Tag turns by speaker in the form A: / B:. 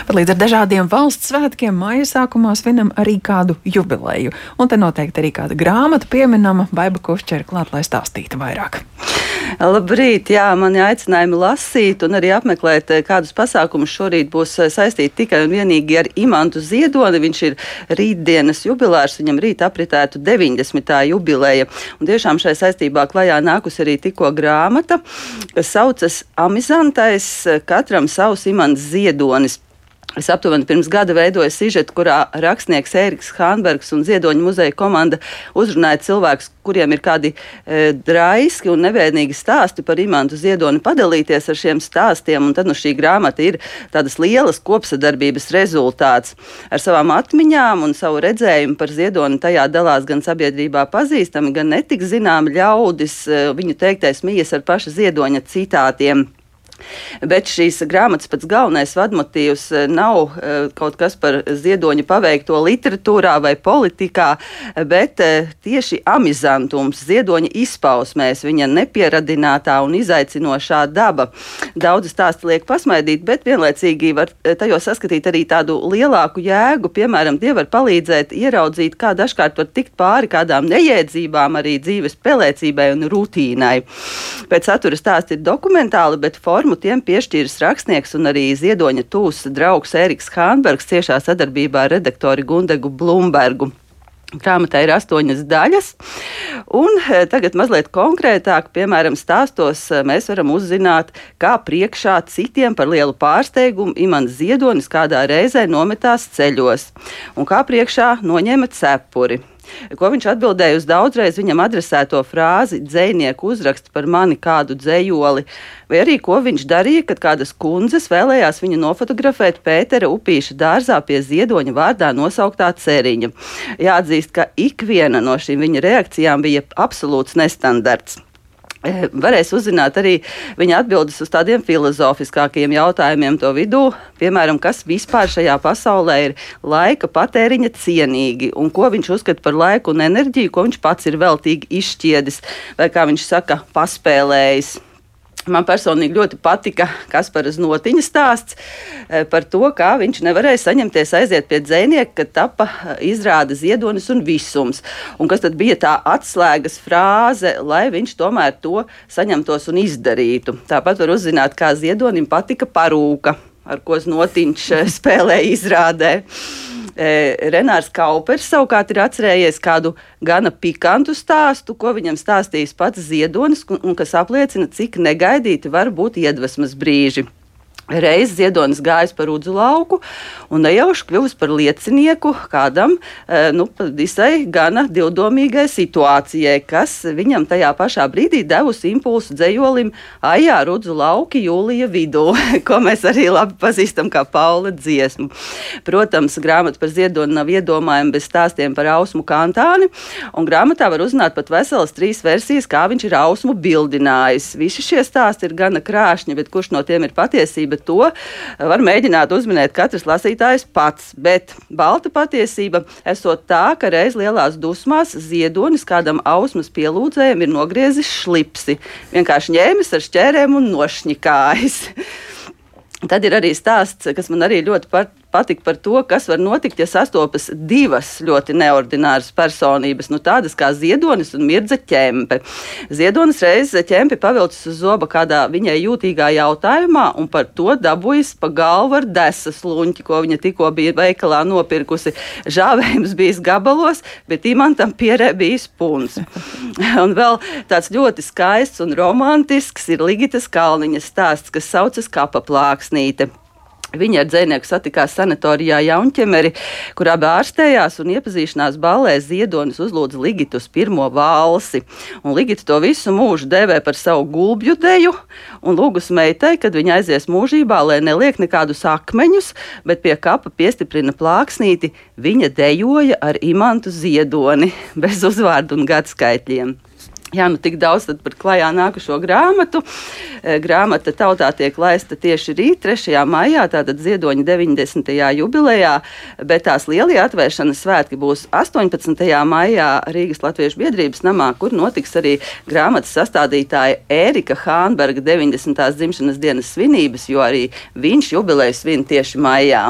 A: Bet līdz ar dažādiem valsts svētkiem maija sākumā svinam arī kādu jubileju. Un te noteikti arī kāda grāmata pieminama. Baiba Kušķere klāt, lai stāstītu vairāk.
B: Labrīt, jā, mani aicinājumi lasīt un arī apmeklēt kādus pasākumus šorīt būs saistīti tikai un vienīgi ar Imantu Ziedoni. Viņš ir rītdienas jubilārs, viņam rīt apritētu 90. jubileja. Un tiešām šai saistībā klajā nākusi arī tikko grāmata, kas saucas Amizantais, katram savs Imants Ziedonis. Es aptuveni pirms gada veidoju sižetu, kurā rakstnieks Ēriks Hānbergs un Ziedoņu muzeja komanda uzrunāja cilvēkus, kuriem ir kādi draiski un nevēnīgi stāsti par Imantu Ziedoni, padalīties ar šiem stāstiem. Un tad šī grāmata ir tādas lielas kopsadarbības rezultāts. Ar savām atmiņām un savu redzējumu par Ziedoni tajā dalās gan sabiedrībā pazīstami, gan netik zināmi ļaudis. Viņu teiktais mijas ar paša Ziedoņa citātiem. Bet šīs grāmatas pats galvenais vadmotīvs nav kaut kas par Ziedoņa paveikto literatūrā vai politikā, bet tieši amizantums, Ziedoņa izpausmēs, viņa nepieradinātā un izaicinošā daba. Daudzi stāsti liek pasmaidīt, bet vienlaicīgi var tajos saskatīt arī tādu lielāku jēgu. Piemēram, tie var palīdzēt ieraudzīt, kā dažkārt var tikt pāri kādām nejēdzībām, arī dzīves pelēcībai un rutīnai. Pēc satura stāsti ir dokumentāli, bet formu tiem piešķīris rakstnieks un arī Ziedoņa tūs draugs Ēriks Hānbergs ciešā sadarbībā ar redaktori Gundegu Blumbergu. Grāmatā ir 8 daļas, un tagad mazliet konkrētāk, piemēram, stāstos mēs varam uzzināt, kā priekšā citiem par lielu pārsteigumu Imants Ziedonis kādā reizē nometās ceļos, un kā priekšā noņēma cepuri. Ko viņš atbildēja uz daudzreiz viņam adresēto frāzi dzejnieku uzrakst par mani kādu dzejoli, vai arī ko viņš darīja, kad kādas kundzes vēlējās viņu nofotografēt Pētera Upīša dārzā pie Ziedoņa vārdā nosauktā ceriņa. Jāatzīst, ka ikviena no šīm viņa reakcijām bija absolūts nestandarts. Varēs uzzināt arī viņa atbildes uz tādiem filozofiskākiem jautājumiem to vidū, piemēram, kas vispār šajā pasaulē ir laika patēriņa cienīgi un ko viņš uzskata par laiku un enerģiju, ko viņš pats ir veltīgi izšķiedis vai, kā viņš saka, paspēlējis. Man personīgi ļoti patika Kasparas Notiņa stāsts par to, kā viņš nevarēja saņemties aiziet pie dzejnieka, kad tapa izrāda Ziedonis un visums. Un kas tad bija tā atslēgas frāze, lai viņš tomēr to saņemtos un izdarītu. Tāpat var uzzināt, kā Ziedonim patika parūka, ar ko Notiņš spēlēja izrādē. Renārs Kaupers savukārt ir atcerējies kādu gana pikantu stāstu, ko viņam stāstījis pats Ziedonis, un kas apliecina, cik negaidīti var būt iedvesmas brīži. Reiz Ziedonis gājis pa Rudzu lauku un nejauši kļuvis par liecinieku kādam visai gana divdomīgai situācijai, kas viņam tajā pašā brīdī devusi impulsu dzejolim Ajā Rudzu lauki jūlija vidū, ko mēs arī labi pazīstam kā Paula dziesmu. Protams, grāmata par Ziedoni nav iedomājama bez stāstiem par Ausmu Kantāni, un grāmatā var uzzināt pat veselas 3 versijas, kā viņš ir Ausmu bildinājis. Visi šie stāsti ir gana krāšņi, bet kurš no tiem ir patiesība? To var mēģināt uzminēt katrs lasītājs pats, bet balta patiesība esot tā, ka reiz lielās dusmās Ziedonis kādam Ausmas pielūdzējam ir nogriezis šlipsi, vienkārši ņēmis ar šķērēm un nošņikājis. Tad ir arī stāsts, kas man arī ļoti patika par to, kas var notikt, ja sastopas 2 ļoti neordināras personības, tādas kā Ziedonis un Mirdza Ķempe. Ziedonis reiz Ķempi pavilcis uz zoba kādā viņai jūtīgā jautājumā un par to dabūjis pa galvu ar desas luņķi, ko viņa tikko bija veikalā nopirkusi. Žāvējums bijis gabalos, bet Imantam pierē bijis puns. Un vēl tāds ļoti skaists un romantisks ir Ligitas Kalniņas stāsts, kas saucas Kapa plāksnīte. Viņa ar dzejnieku satikās sanatorijā Jaunķemeri, kurā ārstējās, un iepazīšanās ballē Ziedonis uzlūdza Ligitu uz pirmo valsi. Un Ligita to visu mūžu dēvē par savu gulbju deju, un lūgus meitai, kad viņa aizies mūžībā, lai neliek nekādus akmeņus, bet pie kapa piestiprina plāksnīti, viņa dejoja ar Imantu Ziedoni, bez uzvārdu un gadskaitļiem. Jā, nu tik daudz par klajā nākušo grāmatu. Grāmata tautā tiek laista tieši rīt, 3. maijā, tātad Ziedoņa 90. jubilejā, bet tās lielie atvēršanas svētki būs 18. maijā Rīgas Latviešu biedrības namā, kur notiks arī grāmatas sastādītāja Ērika Hānberga 90. dzimšanas dienas svinības, jo arī viņš jubileju svin tieši maijā.